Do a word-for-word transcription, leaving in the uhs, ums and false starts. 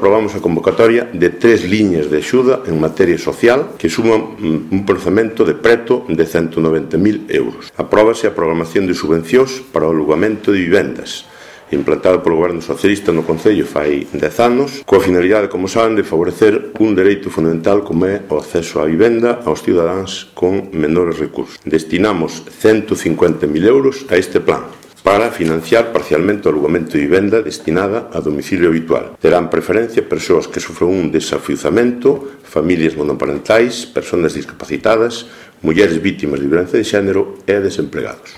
Aprobamos a convocatoria de tres liñas de axuda en materia social que suman un orzamento de preto de ciento noventa mil euros. Apróbase a programación de subvencións para o alugamento de vivendas, implantado polo Goberno Socialista no Concello fai dez anos, coa finalidade, como saben, de favorecer un dereito fundamental como é o acceso á vivenda aos cidadáns con menores recursos. Destinamos ciento cincuenta mil euros a este plan, para financiar parcialmente o alugamento de vivenda destinada a domicilio habitual. Terán preferencia persoas que sofren un desafiuzamento, familias monoparentais, persoas discapacitadas, mulleres vítimas de violencia de xénero e desempregados.